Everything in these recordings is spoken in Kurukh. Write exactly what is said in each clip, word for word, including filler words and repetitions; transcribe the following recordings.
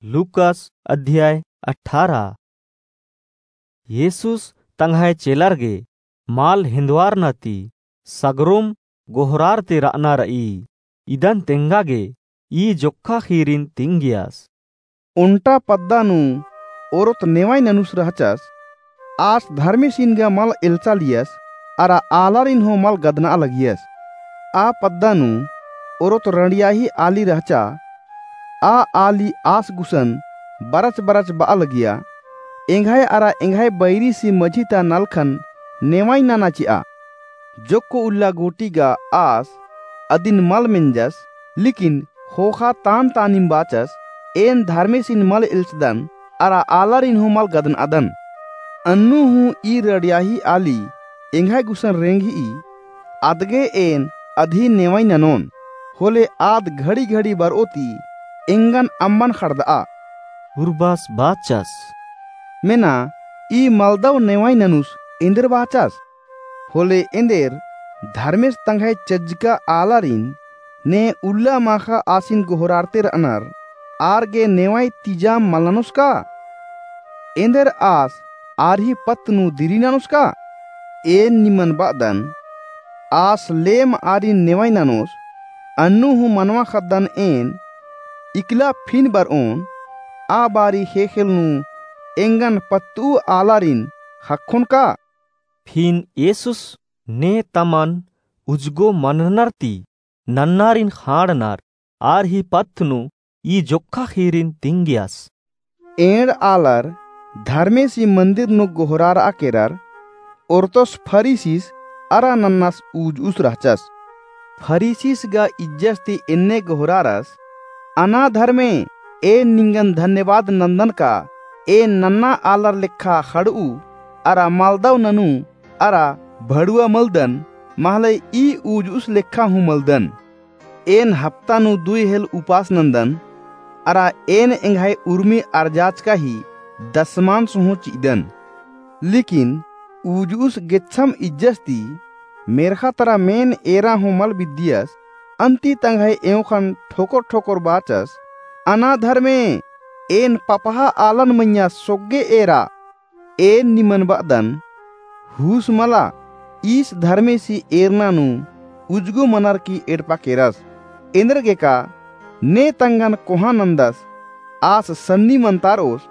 लूकास अध्याय अठारह। येसुस तंग्है चेलर गे मल हिन्दवारना ती सगरोम गोहरारते रअना रई। इदन तेंगा गे ई जोक्खा ख़ीरिन तिंगियस। ओन्टा पद्दा नू ओरोत नेवाई ननुस रहचस, आस धर्मेसिन गा मल एल्चालियस, अरा आलारिन हूँ मल गदनआ लगियस। आ पद्दा नू ओरोत रंड़ियाही आली रहचा, आ आली आस गुसन बरच बरच बआ लगिया, एंग्है अरा एंग्है बैरीसी मझी ता नलखन नेवाई नना चिआ। जोक्क उल्ला गूटी गा आस अदिन मल मेंजस, लेकिन ख़ोख़ा तान तानिम बाचस, एन धर्मेसिन मल एल्चदन, अरा आलारिन हूँ मल गदनअदन। अन्नु हूँ ई रड़ियाही आली एंग्है गुसन रेंगही, अदगे एन अदही नेवाई ननोन, होले आद घड़ी घड़ी बरओ ती एंगन अम्बन ख़ड़दआ। उर्बास बाचस, मेना ई मलदव नेवाई ननुस एन्देर बाचस? होले एन्देर धर्मेस तंग्है चज्जका आलारिन ने उल्ला माख़ा आसिन गोहरारते रअनर, आर गे नेवाई तिजाम मल ननोस का? एन्देर आस आर ही पत्त नू दिरी ननोस का? एन निमन बअदन, आस लेम आरिन नेवाई ननोस, अन्नु हूँ मनवा ख़द्दन एन, इकला फिन बरओन, आ बारी ख़ेख़ेल नू एंगन पत्तऊ आलारिन ख़क्खोन का? फिन येसुस ने तमन उजगो मननर ती नन्नारिन ख़ाँड़नर आर ही पत्त नू ई जोक्खा ख़ीरिन तिंगियस। एंड़ आलर धर्मेसी मन्दिर नू गोहरारआ केरर ओर्तोस फरीसिस अरा नन्नास उजुस रहचस। फरीसिस गा इज्जस ती एन्ने गोहरारस, अना धर्मे, एन निंगन धन्यवाद नन्दन का, एन नन्ना आलर लेखा ख़ड़ऊ अरा मलदव ननू अरा भड़ुआ मलदन, महले ई उजुस लेखा हूँ मलदन। एन हप्ता नू दुई हेल उपास नन्दन, अरा एन एंग्है उर्मी अर्जाचका ही दसमांस हूँ चिअदन। लेकिन उजुस गेच्छम इज्जस ती मेर्ख़ा तरा मेन एरा हूँ मल बिद्दियस, अन्ती तंग्है एंवख़न ठोकर ठोकर बाचस, अना धर्मे, एन पपहा आलन मइय्याँ सोग्गे एरा। एन निमन बअदन, हुस मला, ईस धर्मेसी एरना नू उजगो मनर की एड़पा केरस। एन्देरगेका ने तंगन कोहाँ नन्दस, आस सन्नी मन्तारओस,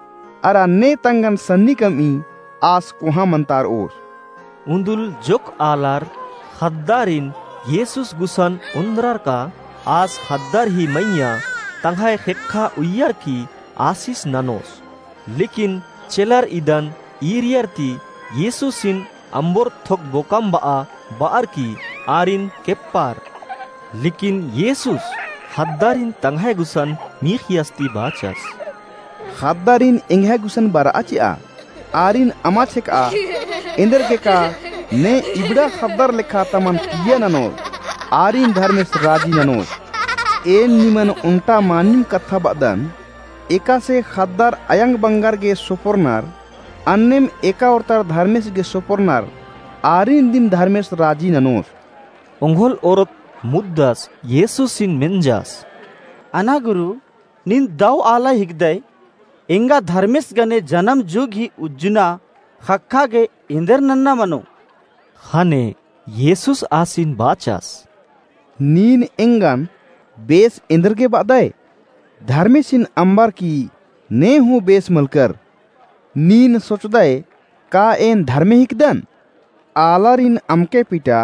अरा ने तंगन सन्नी कमई, आस कोहाँ मन्तारओस। उन्दुल जोक आलर ख़द्दारिन येसुस गुसन ओन्द्रर का, आस ख़द्दर ही मइय्याँ तंग्है ख़ेक्खा उइय्यर की आसिस ननोस। लेकिन चेलर इदन ईरियर ती येसुसिन अम्बोर थोक बोकम बआ बअर की आरिन केप्पर। लेकिन येसुस ख़द्दारिन तंग्है गुसन मीख़ियस ती बाचस। ख़द्दारिन एंग्है गुसन बरआ चिआ, आरिन अमा छेकआ, एन्देरगेका ने इबड़ा ख़द्दर लेखा तमन किइय्या ननोर, आरिन धर्मेस राजी ननोस। एन निमन ओन्टा मानिम कत्था बअदन, एकासे ख़द्दर अयंग बंगर गे सोपोरनर, अन्नेम एका ओर्तर धर्मेस गे सोपोरनर, आरिन दिम धर्मेस राजी ननोस। ओंघोल ओरोत मुद्दस येसुसिन मेंजस। अना गुरु, नीन दव आला हिकदय, एंगा धर्मेस गने जनम जुग ही उज्जना ख़क्खा गे एन्देर नन्ना मनो? ख़ने येसुस आसिन बाचस। नीन एंगन बेस एन्देरगे बअदय? धर्मेसिन अम्बर की ने हूँ बेस मलकर। नीन सोचदय का एन धर्मे हिकदन? आलारिन अमके पिटा,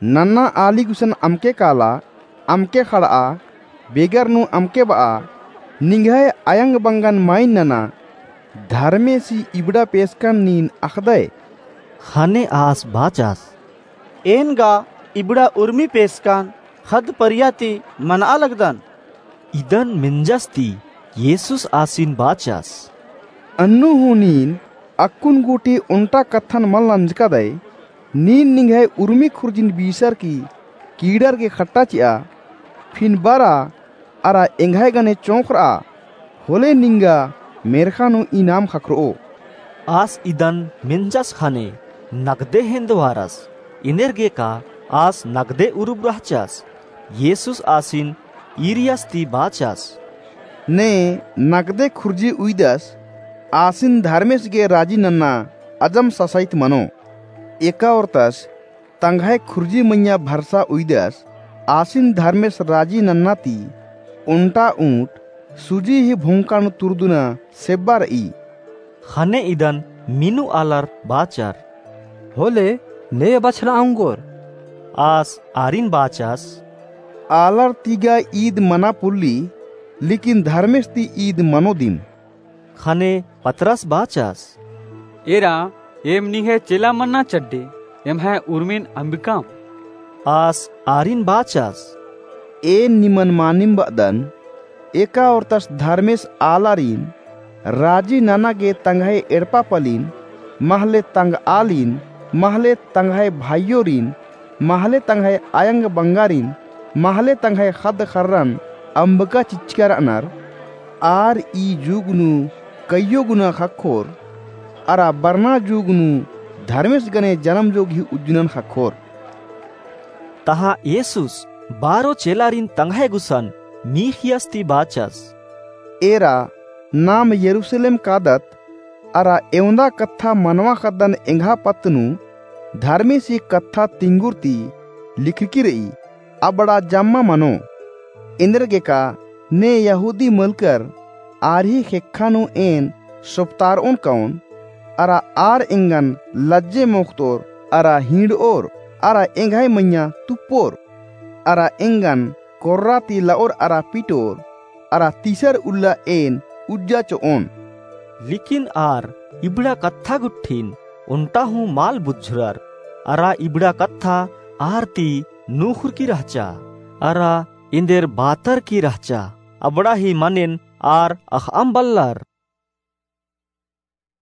नन्ना आली गुसन अमके काला, अमके ख़ड़आ, बेगर नू अमके बआ, निंग्है अयंग बंगन माइन नना, धर्मेसी इबड़ा पेसकन नीन अख़दय? ख़ने आस बाचस। एन गा इबड़ा उर्मी पेसकन ख़द्द परिया ती मनआ लगदन। इदन मेंजस ती येसुस आसिन बाचस। अन्नु हूँ नीन अक्कुन गूटी ओन्टा कत्थन मल नंजकादय, नीन निंग्है उर्मी खुर्जिन बीसर की कीड़र गे ख़ट्टा चिआ, फिन बरा अरा एंग्है गने चोंख़रआ, होले निंगा मेर्ख़ा नू इनाम ख़क्खरओ। आस इदन मेंजस ख़ने नगदे हेन्दवारस, एन्देरगेका आस नगदे उरुब रहचस। येसुस आसिन ईरियस ती बाचस। ने नगदे खुर्जी उइदस, आसिन धर्मेस गे राजी नन्ना अजम ससाइत मनो। एका ओरतस तंग्है खुर्जी मइय्याँ भरसा उइदस, आसिन धर्मेस राजी नन्ना ती ओन्टा ऊँट सुजी ही भोंका नू तुरदुना सेब्बा र'ई। ख़ने इदन मीनू आलर बाचर, होले ने बछला ओंगोर। आस आरिन बाचस, आलर ती गा ईद मना पोल्ली, लेकिन धर्मेस ती ईद मनो दिम। ख़ने पतरस बाचस, एरा, एम निंग्है चेला मन्ना चड्डे, एम्है उर्मिन अम्बिकाम। आस आरिन बाचस, एन निमन मानिम ब'अदन, एका ओरतस धर्मेस आलारिन राजी नना गे तंग्है एड़पा पलिन, महले तंग'आलिन, महले तंग्है भाइयोरिन, महले तंग्है अयंग बंगारिन, महले तंग्है ख़द्द ख़र्रन अम्बका चिच्चका र'अनर, आर ई जुग नू कइयो गुना ख़क्खोर, अरा बरना जुग नू धर्मेस गने जनम जोग ही उज्जनन ख़क्खोर। तहाँ येसुस बारो चेलारिन तंग्है गुसन मीख़ियस ती बाचस, एरा, नाम यरूसलेम कादत, अरा एवंदा कत्था मनवा ख़द्दन एंग्है पत्त नू धर्मेसी कत्था तिंगुर ती लिखरकी र'ई, अबड़ा जम्मा मनो। एन्देरगेका ने यहूदी मलकर आर ही ख़ेक्खा नू एन सोपतार'ओन काओन, अरा आर एंगन लज्जे मोख़तोर, अरा हींड़'ओर, अरा एंग्है मइय्याँ तुप्पोर, अरा एंगन कोर्रा ती ल'ओर अरा पिटोर, अरा तीसर उल्ला एन उज्जा चो'ओन। लेकिन आर इबड़ा कत्था गुट्ठिन ओन्टा हूँ मल बुझुरर, अरा इबड़ा कत्था आर ती नूख़ुरकी रहचा, अरा एन्देर बातरकी रहचा, अबड़ा ही मनेन आर अख़'अम बल्लर।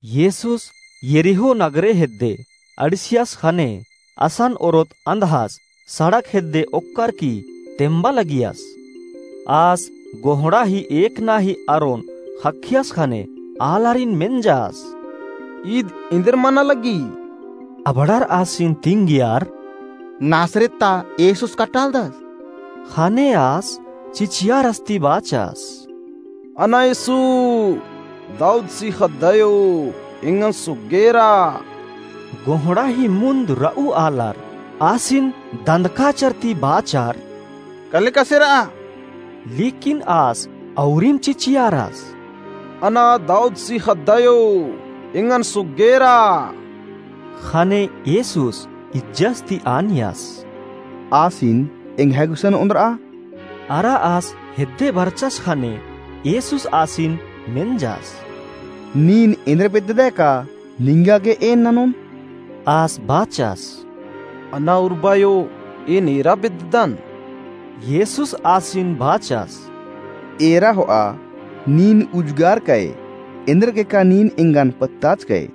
येसुस यरीहो नगरे हेद्दे अंड़सियस ख़ने असन ओरोत अंधस सड़क हेद्दे ओक्कर की तेम्बा लगियस। आस गोहड़ा ही एकना ही अरोन ख़क्खियस ख़ने आलारिन मेंजस, ईद एन्देर मना लगी? अबड़ार आसिन तिंगियर, नासरेत ता येसुस कटालदस। ख़ने आस चिचियारस ती बाचस, अना येसु, दाऊदसी ख़द्दयो, एंगन सुग्गेरा। गोहड़ा ही मुन्द र'ऊ आलर आसिन दंदकाचर ती बाचर, कले कसेरा? लेकिन आस अउरिम चिचियारस, अना दाऊदसी ख़द्दयो, एंगन सुग्गेरा। ख़ने येसुस इज्जस ती आनियस, आसिन एंग्है गुसन ओन्द्र'आ। अरा आस हेद्दे बरचस ख़ने येसुस आसिन मेंजस, नीन एन्देर बेद्ददय का निंगा गे एन ननोन? आस बाचस, अना उर्बायो, एन एरा बेद्ददन। येसुस आसिन बाचस, एरा हो'आ, नीन उजगार कय, एन्देरगेका नीन एंगन पत्ताचकय।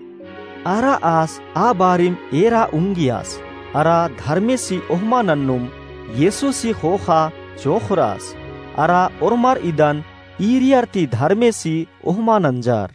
अरा आस आ बारिम एरा उंगियस, अरा धर्मेसी ओहमा नन्नुम येसुसी ख़ोख़ा चोख़रस, अरा ओर्मर इदन ईरियर ती धर्मेसी ओहमा नंजर।